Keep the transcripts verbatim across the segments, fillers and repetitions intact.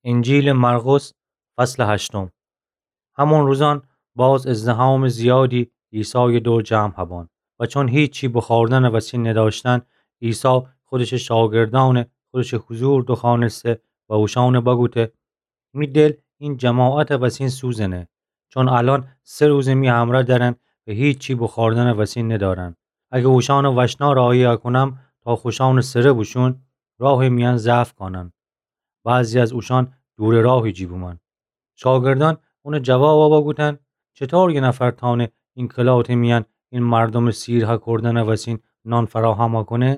انجیلٚ مرقس، فصلٚ هشتم. همون روزأن باز ازدحامٚ زیادی عیسایٚ دور جمع هبأن و چون هیچی بوخوردنٚ وسی ندأشتن، عیسی خودشٚ شاگردأنَ خودشٚ حضور دوخوأنسته و اوشأنَ بوگفته: می دل این جماعتٚ وسین سوزنه، چون الأن سه روزه می همرأ درن و هیچی بوخوردنٚ وسی ندأرن. اگه اوشأنَ وشنا راهی کونم تا خوشأنٚ سره بوشون، راهٚ میأن ضعف کأنن. بعضی از اوشأن دورٚ راهٚ جی بومأن. شاگردأن اونَ جواب بوگفتن: چطور یه نفر تأنه این کلاتٚ میأن این مردومٚ سیر هکردنٚ وسین نان فراهم کونه؟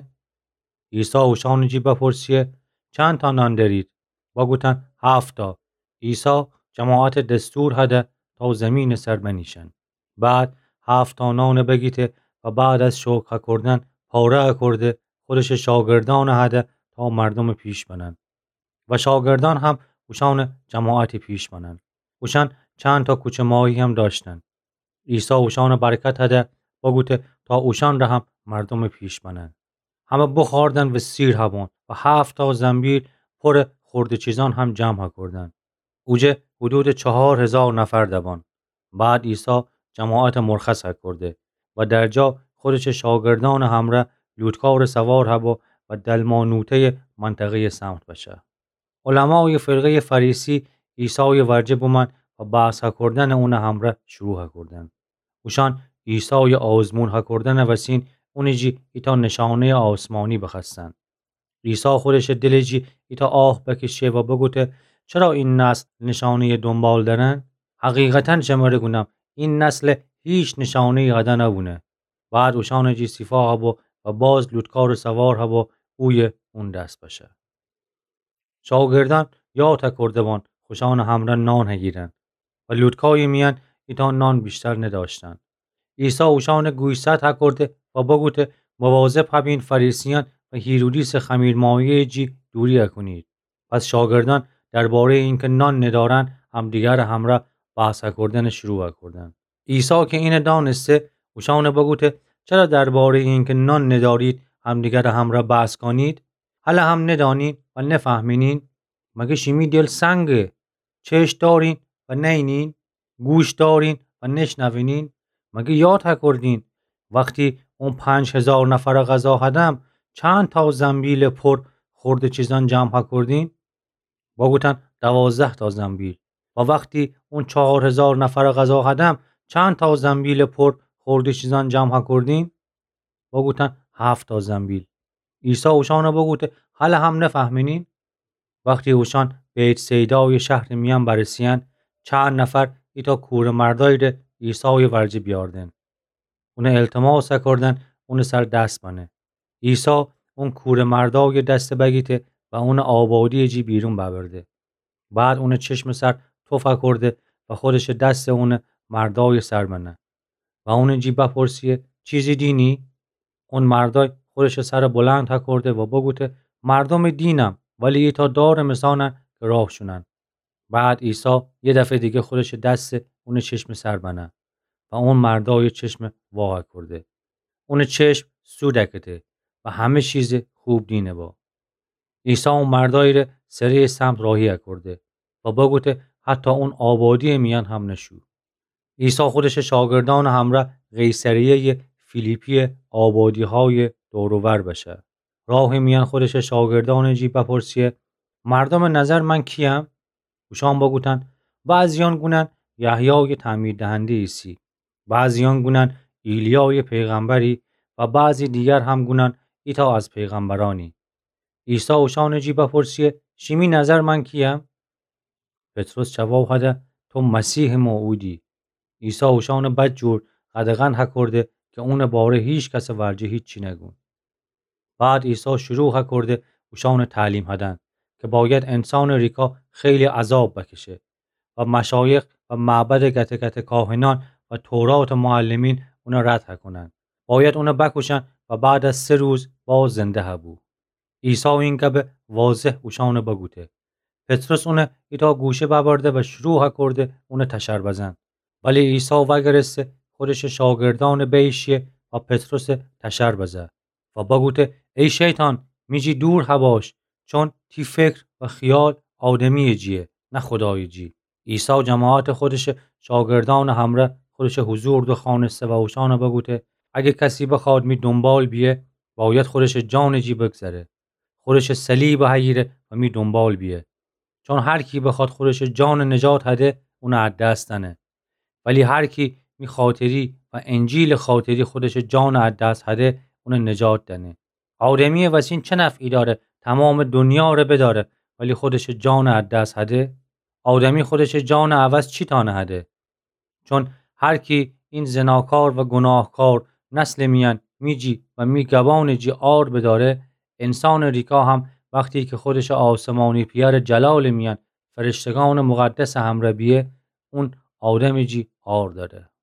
عیسی اوشأنٚ جی بپرسه: چندتا نان دأرید؟ بوگفتن: هفت‌تا. عیسی جماعتَ دستور هده تا زیمینٚ سر بنیشن. بعد هفت‌تا نانَ بگیفته و بعد از شکر هکردن پاره هکرده، خودشٚ شاگردأنَ هده تا مردومٚ پیش بنن. و شاگردأن هم اوشأنٚ جماعتٚ پیش بنن. اوشأن چندتا کوچه ماهی هم دأشتن. عیسی اوشأنَ برکت هده، بوگفته تا اوشأنره هم مردومٚ پیش بنن. همه بوخوردن و سیر هبأن و هفت‌تا زنبیل پورٚ خورده چیزأن هم جمع هکردن. اوجه حدودٚ چهار هزار نفر دبأن. بعد عیسی جماعتَ مرخص هکرده و در جا خودشٚ شاگردأنٚ همرأ لوطکارٚ سوار هبو و دلمانوته‌یٚ منطقه‌یٚ سمت بشه. علمایٚ فرقه‌یٚ فریسی عیسایٚ ورجه بومأن و بحث هکردنَ اونٚ همرأ شروع هکردن. اوشأن عیسایٚ آزمون هکردنٚ وسین اونٚ جی ایتأ نشانه‌یٚ آسمانی بخوأستن. عیسی خودشٚ دلٚ جی ایتأ آه بکشه و بوگفته: چرا این نسل نشانه‌یٚ دونبال دأرن؟ حقیقتاً شمره گونم، این نسل هیچ نشانه‌یی قده نبونه. بعد اوشأنٚ جی صفا هبو و باز لوطکارٚ سوار هبو اویه اون دس بشه. شاگردأن یاد هکرده بأن خوشأنٚ همرأ نان هگیرن و لوطکایٚ میأن ایتأ نان ویشتر ندأشتن. عیسی اوشأنَ گوشزد هکرده و بوگفته: مواظب هبین فریسیأن و هیرودیسٚ خمیرمایه‌یٚ جی دوری هکونید. پس شاگردأن درباره‌یٚ اینکه نان ندأرن، همدیگرٚ همرأ بحث هکردنَ شروع هکردن. عیسی که اینَ دأنسته، اوشأنَ بوگفته: چرا درباره‌یٚ اینکه نان ندأرید، همدیگرٚ همرأ بحث کونید؟ هله هم ندأنین و نفهمینین؟ مگه شیمی دل سنگه؟ چشم دأرین و نئینین؟ گوش دأرین و نشنوینین؟ مگه یاد هکردین وختی اون پنج هزار نفرَ غذا هدم، چندتا زنبیلٚ پور خورده چیزأن جمع هکردین؟ بوگفتن: دوازده‌تا زنبیل. و وختی اون چهار هزار نفرَ غذا هدم، چندتا زنبیلٚ پور خورده چیزأن جمع هکردین؟ بوگفتن: هفت‌تا زنبیل. عیسی اوشأنَ بوگفته: هله هم نفهمینین؟ وختی اوشأن بیت‌صیدایٚ شهرٚ میأن برسه‌یأن، چند نفر ایتأ کوره‌مردأیی ره عیسایٚ ورجه بیأوردن. اونَ التماس هکردن اونٚ سر دس بنه. عیسی اون کوره‌مردأیٚ دسَ بگیفته و اونَ آبادی‌یٚ جی بیرون ببرده. بعد اونٚ چشمٚ سر توف هکرده و خودشٚ دسَ اونٚ مردأیٚ سر بنه و اونٚ جی بپرسه: چیزی دینی؟ اون مردأی خودشٚ سرَ بلند هکرده و بوگفته: مردومٚ دینم، ولی ایتأ دارٚ مثانن که راه شونن. بعد عیسی یه دفعه دیگه خودشٚ دسَ اونٚ چشمٚ سر بنه و اون مردأیٚ چشمَ وا هکرده. اونٚ چشم سو دکفته و همه چیزَ خوب دینه با. عیسی اون مردأیی ره سره‌یٚ سمت راهی هکرده و بوگفته حتی اون آبادی‌یٚ میأن هم نشو. عیسی خودشٚ شاگردأنٚ همرأ قیصریه‌یٚ فیلیپی‌یٚ آبادی‌هایٚ دور و ور بشه. راهٚ میأن خودشٚ شاگردأنٚ جی بپرسه: مردومٚ نظر من کی‌یم؟ اوشأن بوگفتن: بعضی‌یأن گونن یحیایٚ تعمیردهنده ایسی، بعضی‌یأن گونن ایلیایٚ پیغمبری و بعضی دیگر هم گونن ایتأ از پیغمبرأنی. عیسی اوشأنٚ جی بپرسه: شیمی نظر من کی‌یم؟ پطرس جواب هده: تو مسیحٚ موعودی. عیسی اوشأنَ بدجور قدغن هکرده که اونٚ باره هیکسٚ ورجه هیچی نگون. بعد عیسی شروع هکرده اوشأنَ تعلیم هدن که باید انسانٚ ریکا خیلی عذاب بکشه و مشایخ و معبدٚ گته‌گته کاهنأن و توراتٚ معلمین اونَ رد هکونن. باید اونَ بکوشن و بعد از سه روز باز زنده هبو. عیسی این گبَ واضح اوشأنَ بوگفته. پطرس اونَ ایتأ گوشه ببرده و شروع هکرده اونَ تشر بزن. ولی عیسی وأگرسته خودشٚ شاگردأنٚ بیشی و پطرسَ تشر بزه و بوگفته: ای شیطان، می جی دور هباش، چون تی فکر و خیال آدمیٚ جیه، نه خودایٚ جی. عیسی جماعتٚ خودشٚ شاگردأنٚ همرأ خودشٚ حضور دوخوأنسته و اوشأن بگوته: اگه کسی بخوأد می دونبال بیه، بأید خودشٚ جانٚ جی بگذره، خودشٚ صلیب هییره و می دونبال بیه. چون هر کی بخوأد خودشٚ جان نجات هده، اون ا دس دأنه. ولی هر کی می خاطری و انجیلٚ خاطری خودشٚ جان ا دس هده، اون نجات دأنه. آدمیٚ وسین چه نفعی دأره تومامٚ دونیا ره بدأره، ولی خودشٚ جان ا دس هده؟ آدمی خودشٚ جانٚ عوض چی تأنه هده؟ چون هر کی این زناکار و گوناهکار نسلٚ میأن می جی و می گبانٚ جی عار بدأره، انسانٚ ریکا هم وختی کی خودشٚ آسمانی پئرٚ جلالٚ میأن فرشتگأنٚ مقدسٚ همرأ بیه، اون آدمٚ جی عار دأره.